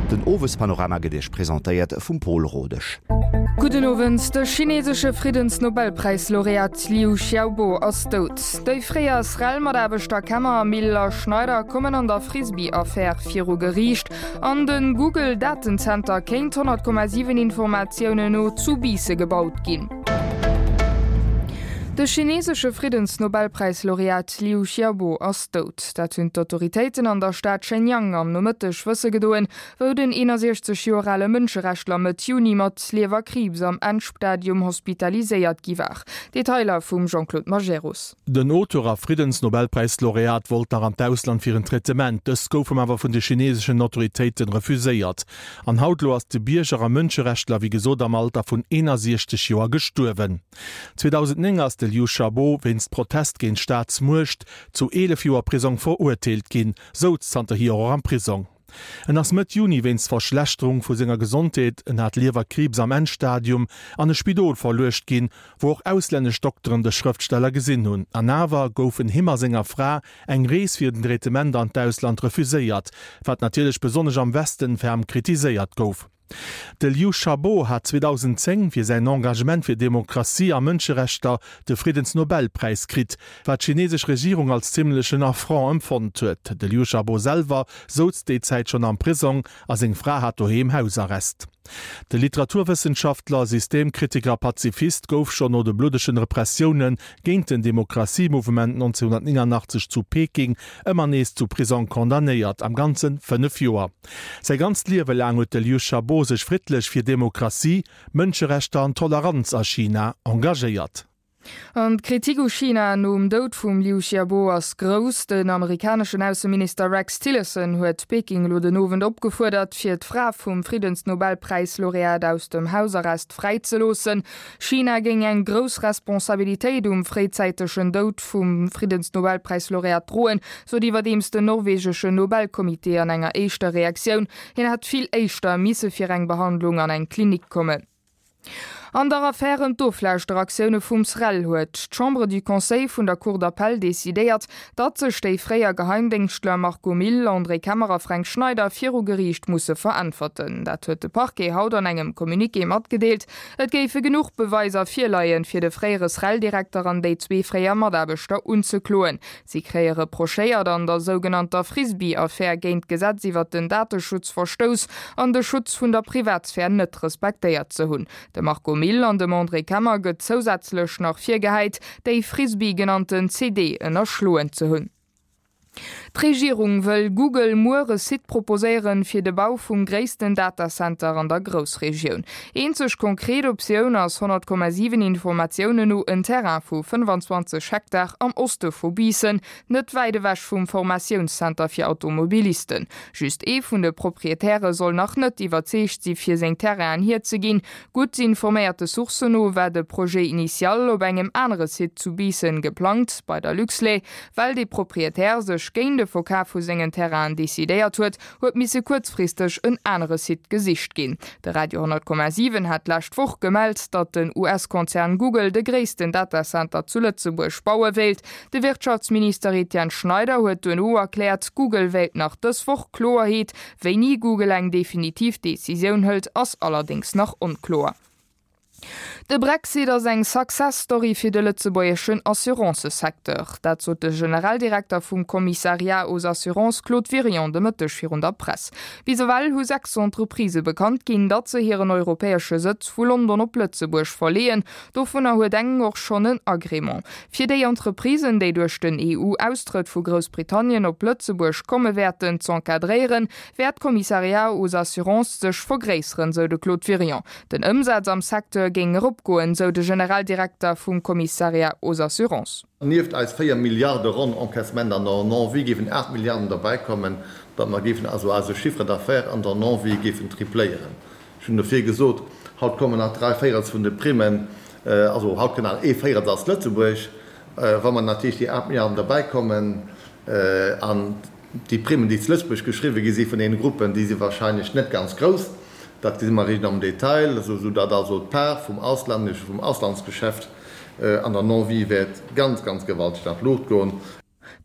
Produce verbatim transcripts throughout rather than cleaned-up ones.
Den Owespanorama gëtt Iech presentéiert vum Pol Rodesch. Gudden Owend, De chinesesche Friddensnobelpräislaureat Liu Xiaobo ass dout. Déi fréier SREL-Mataarbechter Kemmer, Mille a Schneider kommen an der Frisbee-Affär viru Geriicht. An de Google-Datenzenter kéint honnert Komma siwen Informatiounen no zu Biisse gebaut ginn. De chinesesche Friddensnobelpräislaureat Liu Xiaobo ass dout. Dat hunn d'Autoritéiten an der Stad Shenyang am Nomëtteg wësse gedoen, wou den eenasiechzeg Joer ale Mënscherechtler Mëtt Juni mat Liewerkriibs am Endstadium hospitaliséiert gi war. Detailer vum Jean-Claude Majerus. Den Auteur a Friddensnobelpräislaureat wollt nach an d'Ausland fir en Traitement, dëst gouf him awer vun de chineseschen Autoritéiten refuséiert. An haut elo ass de Bierger a Mënscherechtler wéi gesot am Alter vun eenasiechzeg Joer gestuerwen. zweedausendnéng ass de Liu Xiaobo wéinst Protest géint d'Staatsmuecht zu eelef Joer Prisong verurteelt ginn, souz zanterhier och am Prisong. En ass Mëtt Juni wéinst Verschlechterung vu senger Gesondheet, en hat Liewerkriibs am Endstadium, an e Spidol verluecht ginn, wou och auslännesch Dokteren de Schrëftsteller gesinn hunn. An awer goufen him a senger Fra eng Rees fir den Traitement an d'Ausland refuséiert, wat natierlech besonnesch am Westen ferm kritiséiert gouf. De Liu Xiaobo hat zweedausendzéng fir säin Engagement fir Demokratie a Mënscherechter de Friddensnobelpräis kritt, wat d'chinesesch Regierung als zimmlechen Affront empfonnt huet. De Liu Xiaobo selwer souz déi Zäit schonn am Prisong a seng Fra hat doheem Hausarrest. De Literaturwëssenschaftler, Systemkritiker a Pazifist gouf schonn no de bluddegen Repressioune géint den Demokratiemouvement nonzénhunnertnéngannachtzeg zu Peking ëmmer nees zu Prisong condamnéiert, am Ganze fënnef Joer. Säi ganzt Liewe laang huet de Liu Xiaobo sech friddlech fir Demokratie, Mënscherechter an Toleranz a China engagéiert. An d'Kritik u China nom Doud vum Liu Xiaobo ass grouss. Den amerikaneschen Ausseminister Rex Tillerson huet Peking elo den Owend opgefuerdert, fir d'Fra vum Friddensnobelpräislaureat aus dem Hausarrest fräizeloossen. China géing eng grouss Responsabilitéit um fréizäitegen Doud vum Friddensnobelpräislaureat droen, sot iwwerdeems den norwegeschen Nobelcomité an enger éischter Reaktioun. Hien hätt vill éischter misse fir eng Behandlung an eng Klinik kommen. An der Affär ëm d'Oflauschteraktioune vum SREL huet d'Chambre du Conseil vun der Cour d'appel decidéiert, datt sech déi fréier Geheimdéngschtler Marco Mille, André Kemmer a Fränk Schneider viru Geriicht musse veräntwerten. Dat huet de Parquet haut an engem Communiqué matgedeelt. Et géife genuch Beweiser virleien, fir de fréiere SREL-Direkter an déi zwee fréier Mataarbechter unzekloen. Si kréie reprochéiert, an der sougenannter Frisbee-Affär géint d'Gesetz iwwert den Dateschutz verstouss an de Schutz vun der Privatsphär net respektéiert ze hunn. Dem Marco Mille an dem André Kemmer gëtt zousätzlech nach virgehäit, déi Frisbee genannten C D ënnerschloen ze hunn. D'Regierung wëll Google muer e Site proposéieren, fir de Bau vum gréissten Datacenter an der Groussregioun. Eenzeg konkret Optioun ass honnert Komma siwen Informatiounen no en Terrain vu fënnfanzwanzeg Hektar am Oste vu Biissen, net wäit ewech vum Formatiounscenter fir Automobilisten. Just ee vun de Proprietäre soll nach net iwwerzeegt si fir seng Terrainen hierzeginn. Gutt informéierte Sourcen no war de Projet initial op engem anere Site zu Biissen geplangt, bei der Luxlait. Well dee Proprietär sech géint de Verkaf vu sengen Terrainen decidéiert huet, huet misse kuerzfristeg en anere Site gesicht ginn. De Radio honnert Komma siwen hat d'lescht Woch gemellt, datt den U S-Konzern Google de gréissten Datacenter zu Lëtzebuerg baue wéilt. De Wirtschaftsminister Etienne Schneider huet duerno erkläert, Google wéilt nach dës Woch Kloerheet. Wéini Google eng definitiv Decisioun hëlt, ass allerdéngs nach onkloer. De Brexit ass eng Success Story fir de lëtzebuergeschen Assurancësecteur. Dat sot de Generaldirekter vum Commissariat aux assurances Claude Wirion de Mëtteg virun der Press. Bis ewell hu sechs Entreprisë bekannt ginn, datt se hiren europäesche Sëtz vu London op Lëtzebuerg verleeën. Dovunner huet eng och schonn en Agrément. Fir déi Entreprisen, déi duerch den E U-Austrëtt vu Groussbritannien op Lëtzebuerg komme wäerten, z'encadréieren, wäert d'Commissariat aux assurances sech vergréisseren, sou de Claude Wirion. Den Ëmsaz am Secteur géing eropgoen, sou de Generaldirekter vum Commissariat aux assurances. Nieft eis véier Milliarde ronn Encaissement an der Non-Vie géifen aacht Milliarden derbäikommen, datt mer géifen also eise Chiffre d'affaires an der Non-Vie géifen tripléieren. Ech hunn dofir gesot, haut kommen nach dräi Véirels vun de Primmen, also haut kënnt nach ee Véirels aus Lëtzebuerg. Wa mer natierlech déi aacht Milliarden derbäikommen an déi Primmen, déi zu Lëtzebuerg geschriwwe gi si vun deene Gruppen, déi si wahrscheinlech net ganz grouss, dat gesi mer eréischt am Detail, esou datt also d'Part vum auslänneschen, vum Auslandsgeschäft an der Non-Vie wäert ganz, ganz gewalteg an d'Luucht goen.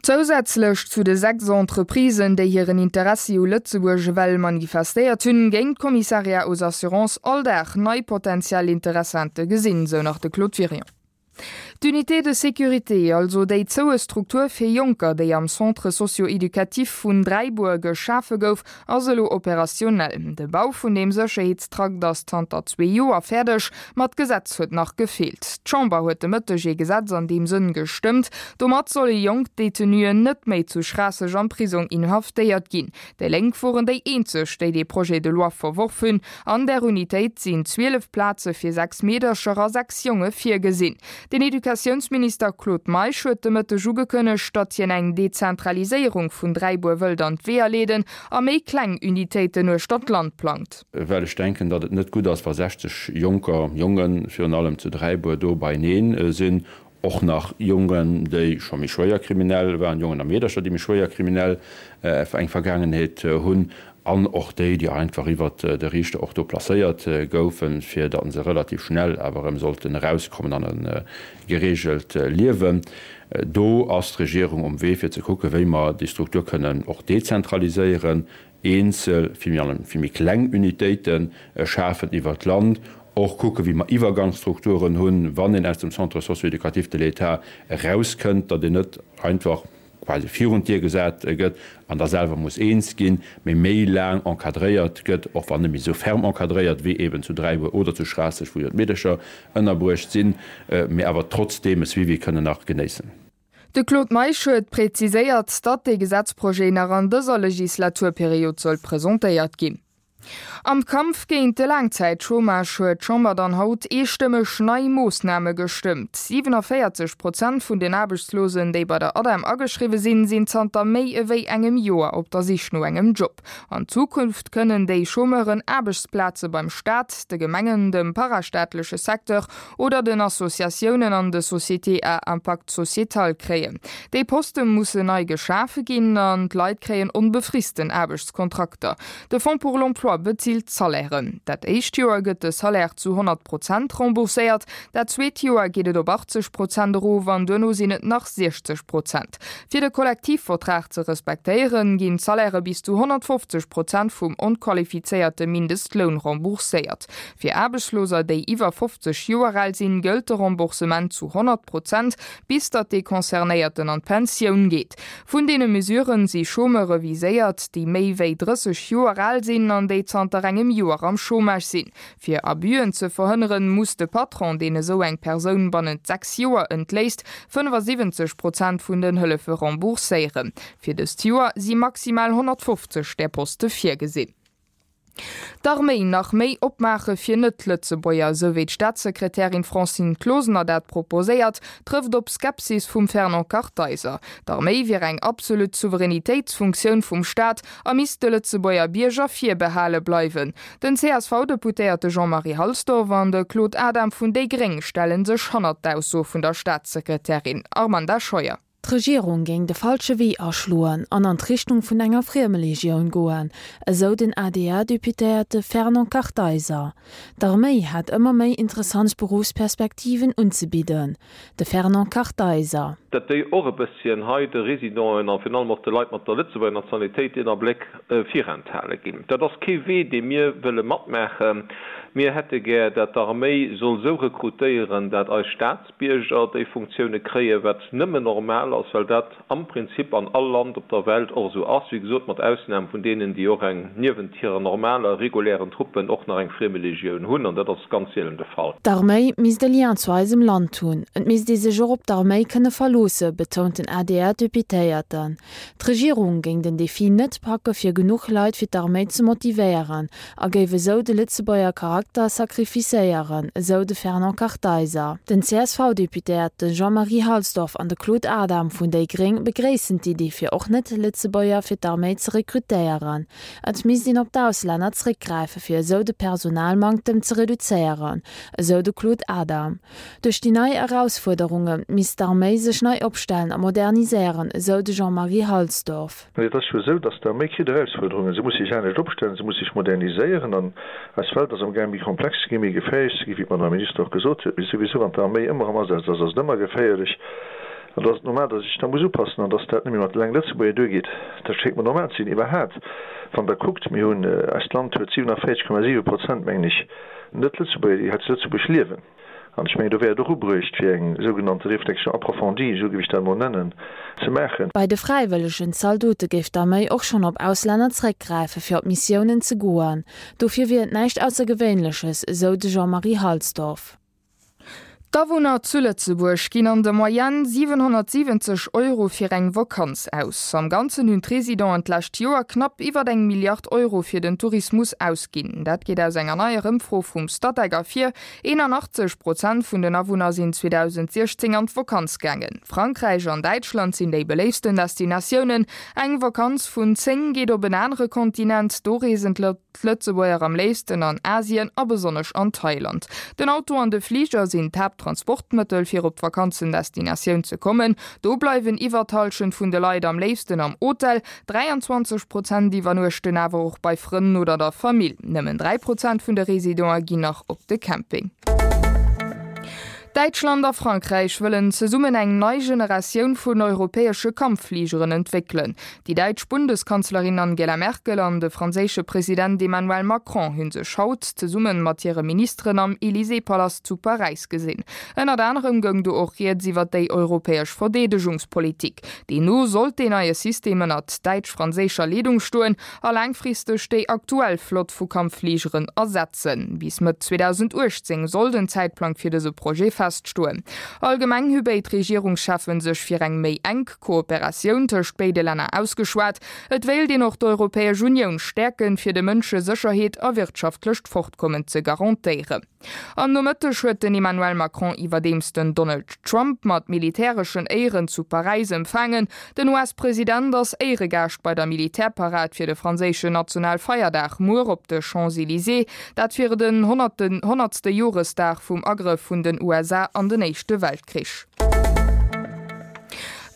Zousätzlech zu de sechs Entreprisen, déi hiren Interessi u Lëtzebuerg ewell manifestéiert hunn, géing d'Commissariat aux assurances all Dag nei potentiell Interessente gesinn, sou nach de Claude Wirion. D'Unité de sécurité, also déi zoue Struktur fir Jonker, déi am Centre socio-éducatif vun Dräibuer geschafe gouf, ass elo operationell. De Bau vun deem Sécherheetstrakt ass zanter zwee Joer fäerdeg, ma d'Gesetz huet nach gefeelt. D'Chamber huet de Mëtteg ee Gesetz an deem Sënn gestëmmt. Domat solle jonk Detenuen net méi zu Schraasseg am Prisong inhaftéiert ginn. Déi Lénk woren déi eenzeg, déi dee Projet de loi verworf hunn. An der Unitéit sinn zwielef Plaze fir sechs Meedercher a sechs Jonge virgesinn. Den Educatiounsminister Claude Meisch huet de Mëtteg ugekënnegt, datt hien eng Dezentraliséierung vun Dräibuer wëllt an d'Weeër leeden a méi kleng Unitéiten uechter d'Land plangt. Well ech denken, datt et net gutt ass, wa sechzeg Jonker, Jongen virun allem, zu Dräibuer do beieneen sinn, och nach Jongen, déi scho méi schwéier kriminell waren, Jongen a Meedercher, déi méi schwéier kriminell eng Vergaangenheet hunn, an och déi, déi einfach iwwert de Riichter och do placéiert goufen, fir datt se relativ schnell awer erëm sollten erauskommen an e gereegelt Liewen. Do ass d'Regierung um Wee, fir ze kucken, wéi mer déi Struktur kënnen och dezentraliséieren, eenzel, vill méi, vill méi kleng Unitéite schafen iwwert d'Land, och kucken, wéi mer Iwwergangsstrukturen hunn, wann een aus dem Centre socio-éducatif de l'État erauskënnt, datt een net einfach quasi virun d'Dier gesat gëtt an da selwer muss eens ginn, mee méi laang encadréiert gëtt, och wann net méi esou ferm encadréiert wéi eeben zu Dräibuer oder zu Schraasseg, wou jo d'Meedercher ënnerbruecht sinn, mee awer trotzdeem e Suivi kënnen nach genéissen. De Claude Meisch huet präziséiert, datt dee Gesetzprojet nach an dëser Legislaturperiod soll presentéiert ginn. Am Kampf géint de Laangzäitchômage huet d'Chamber dann haut eestëmmeg nei Moossname gestëmmt. siewenundvierzig Prozent vun den Aarbechtslosen, déi bei der ADEM ageschriwwe sinn, sinn zanter méi ewéi engem Joer op der Sich no engem Job. An Zukunft kënnen déi Chômeuren Aarbechtsplaze beim Staat, de Gemengen, dem parastaatleche Secteur oder den Associatiounen an de Sociétés à impact sociétal kréien. Déi Poste mussen nei geschafe ginn an d'Leit kréien onbefristen Aarbechtskontrakter. De Fonds pour l'emploi bezilt d'Salairen. Dat éischt Joer gëtt de Salaire zu honnert Prozent rembourséiert, dat zweet Joer geet et op achtzeg Prozent erof an duerno sinn et nach siechzeg Prozent. Fir de Kollektivvertrag ze respektéieren, ginn d'Salaire bis zu honnertfofzeg Prozent vum onqualifizéierte Mindestloun rembourséiert. Fir Aarbechtsloser, déi iwwer fofzeg Joer al sinn, gëllt de Remboursement zu honnert Prozent, bis datt dee Concernéierten an d'Pensioun geet. Vun deene Mesuren si Chômeure viséiert, déi méi wéi drësseg Joer al sinn an déi zanter engem Joer am Chômage sinn. Fir Abüen ze verhënneren, muss de Patron, deen esou eng Persoun bannent sechs Joer entléisst, fënnefasiwwenzeg Prozent vun den Hëllefe rembourséieren. Fir dëst Joer si maximal honnertfofzeg där Poste virgesinn. D'Arméi nach méi opmaache fir Net-Lëtzebuerger, esou wéi d'Staatssekretärin Francine Closener dat proposéiert, trëfft op Skepsis vum Fernand Kartheiser. D'Arméi wier eng absolut Souveränitéitsfunktioun vum Staat a misst de Lëtzebuerger Bierger virbehale bleiwen. Den C S V-Deputéierte Jean-Marie Halsdorf an de Claude Adam vun déi Gréng stelle sech hannert d'Ausso vun der Staatssekretärin. Armanda Scheuer. D'Regierung géing de falsche Wee aschloen an an d'Richtung vun enger Friemelegioun goen, esou den A D R-Deputéierte Fernand Kartheiser. D'Arméi hätt ëmmer méi interessant Berufsperspektiven unzebidden. De Fernand Kartheiser. Datt déi och e bësschen hei de Residenten an virun allem och de Leit mat der Lëtzebuerger Nationalitéit een Abléck virenthale ginn. Dat ass kee Wee, dee mir wëlle matmaachen. Mir hätte gär, datt d'Arméi soll sou rekrutéieren, datt eis Staatsbierger déi Funktioune kréien, wat nëmmen normal ass, well dat am Prinzip an all Land op der Welt och esou ass, wéi gesot mat Ausnam vun deenen, déi och eng niewent hirer normaler, regulären Truppen och nach eng Friemelegioun hunn, an dat ass ganz seelen de Fall. D'Arméi misst e Lien zu eisem Land hunn. Et misst ee sech och op d'Arméi kënne verloosse, betount den A D R-Deputéierten. D'Regierung géing den Defi net packe fir genuch Leit fir d'Arméi ze motivéieren a géif esou de Lëtzebuerger Charakter sacrificéieren, esou de Fernand Kartheiser. Den C S V-Deputéierte Jean-Marie Halsdorf an de Claude Adam vun déi Gréng begréissen d'Idee fir och net Lëtzebuerger fir d'Arméi ze rekrutéieren. Et misst een op d'Auslänner zréckgräife fir esou de Personalmanktem ze reduzéieren, esou de Claude Adam. Duerch déi nei Erausfuerderunge misst d'Arméi sech nei opstellen a moderniséieren, esou de Jean-Marie Halsdorf. Et ass jo esou, datt d'Arméi kritt Erausfuerderungen. Se muss sech anescht opstellen, se muss sech moderniséieren an eis Welt ass am Gaang méi komplex ze ginn, méi geféierlech ze ginn, wéi d'Madame Minister och gesot huet. Mee souwisou, wann d'Arméi ëmmer am Asaz ass, ass et ëmmer geféierlech. An do ass et normal, datt ech da muss upassen an datt dat net méi mat eleng Lëtzebuerger duergeet. Dat schéngt mer normal ze sinn. Iwwerhaapt, wann Der kuckt, mir hunn, eist Land huet siewenundvierzig Komma siwe Prozent, mengen ech, Net-Lëtzebuerger, déi hei zu Lëtzebuerg liewen. An ech mengen, do wär et och ubruecht, fir eng sougenannte Réflexion approfondie, esou géif ech dat emol nennen, ze maachen. Bei de fräiwëllegen Zaldote géif d'Arméi och schonn op Auslänner zréckgräife fir op Missiounen ze goen. Dofir wier et näischt Aussergewéinleches, esou de Jean-Marie Halsdorf. D'Awunner zu Lëtzebuerg ginn an der Moyenne siwenhonnertsiwwenzeg Euro fir eng Vakanz aus. Am Ganzen hunn d'Residenten d'lescht Joer knapp iwwer eng Milliard Euro fir den Tourismus ausginn. Dat geet aus enger neier Ëmfro vum Statec ervir. eenanachtzeg Prozent vun den Awunner sinn zweedausendsiechzéng an d'Vakanz gaangen. Frankräich an Däitschland sinn déi beléiftsten Destinatiounen. Eng Vakanz vun zéng geet op en anere Kontinent. Do reesen d'Lëtzebuerger am léifsten an Asien a besonnesch an Thailand. Den Auto an de Fliger sinn d'Haapttransportmëttel fir op d'Vakanzendestinatioun ze kommen. Do bleiwen iwwer d'Hallschent vun de Leit am léifsten am Hotel, dräianzwanzeg Prozent iwwernuechten awer och bei Frënn oder der Famill. Nëmmen dräi Prozent vun de Residente ginn nach op de Camping. Däitschland a Frankräich wëllen zesummen eng nei Generatioun vun europäesche Kampffligeren entwéckelen. Déi däitsch Bundeskanzlerin Angela Merkel an de franséische President Emmanuel Macron hu sech haut zesumme mat hire Ministeren am Élysée-Palast zu Paräis gesinn. Ënnert anerem goung do och rieds iwwer déi europäesch Verdeedegungspolitik. Deemno sollt deen neie System ënnert däitsch-franséischer Leedung stoen a laangfristeg déi aktuell Flott vu Kampffligeren ersetzen. Bis Mëtt zweedausendachtzéng soll den Zäitplang fir dëse Projet feststoen. Allgemeng hu béid Regierungscheffen sech fir eng méi enk Kooperatioun tëscht béide Länner ausgeschwat. Et wéilt een och d'Europäesch Unioun stäerken, fir de Mënsche Sécherheet a wirtschaftlecht Fortkommen ze garantéieren. Am Nomëtteg huet den Emmanuel Macron iwwerdeems den Donald Trump mat militäreschen Éieren zu Paräis empfaangen. Den U S-President ass Éieregaascht bei der Militärparad fir de franséischen Nationalfeierdag muer op de Champs-Elysées, dat fir den honnertste Joresdag vum Agrëff vun den U S A an den Éischte Weltkrich.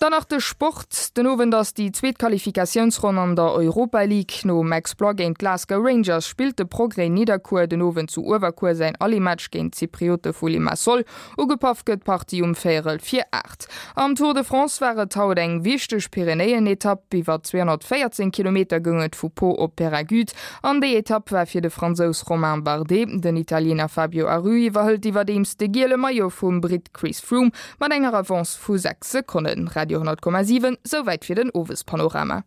Dann nach de Sport, Den Owend ass déi zweet Qualifikatiounsronn an der Europa League. Nom Exploit géint d'Glasgow Rangers spillt de Progrès Nidderkuer den Owend zu Uewerkuer säin Aller-Match géint d'Zypriote vu Limassol. Ugepaff gëtt d'Partie um véierel vir aacht. Am Tour de France war et haut eng wichteg Pyrenäen-Etapp. Iwwer zweehonnertvéierzéng Kilometer goung et vu Pau op Peyragudes an déi Etapp war fir de Fransous Romain Bardet. Den Italiener Fabio Aru iwwerhëlt iwwerdeems de giele Maillot vum Britt Chris Froome mat enger Avance vu sechs Sekonnen. Radio honnert Komma siwen, Souwäit fir den Owespanorama.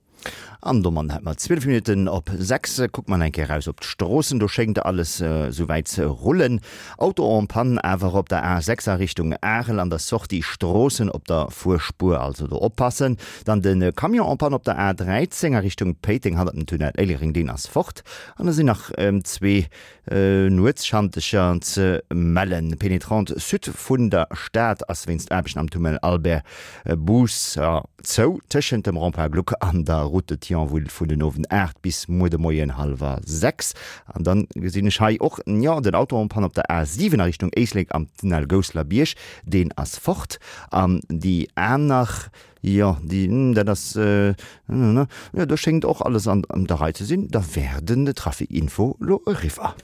An domat hätt mer zwielef Minutten op sechs. Kucke mer eng Kéier eraus op d'Stroossen, do schéngt alles souwäit ze rullen. Auto en panne awer op der A sechs a Richtung Arel an der Sortie Stroossen op der Fuerspuer, also do oppassen. Dann de Camion en panne op der A dräizéng a Richtung Péiteng hannert dem Tunnel Éilereng, deen ass fort. An da sinn nach zwee Nuetsschantecher ze mellen. D'Pénétrante Sud vun der Stad ass wéinst Aarbechten am Tunnel Albert Bousser zou, tëschent dem Rond-point Gluck an der Route de Thionville vun den Owend aacht bis muer de Moien hallwer sechs. An dann gesinn ech hei och, jo, den Auto en panne op der A siwen a Richtung Éislek am Tunnel Gousseler Bierg, deen ass fort. An déi aner, jo, déi, dat ass, jo, do schéngt och alles an der Rei ze sinn. Da wär den Trafic Info lo eriwwer.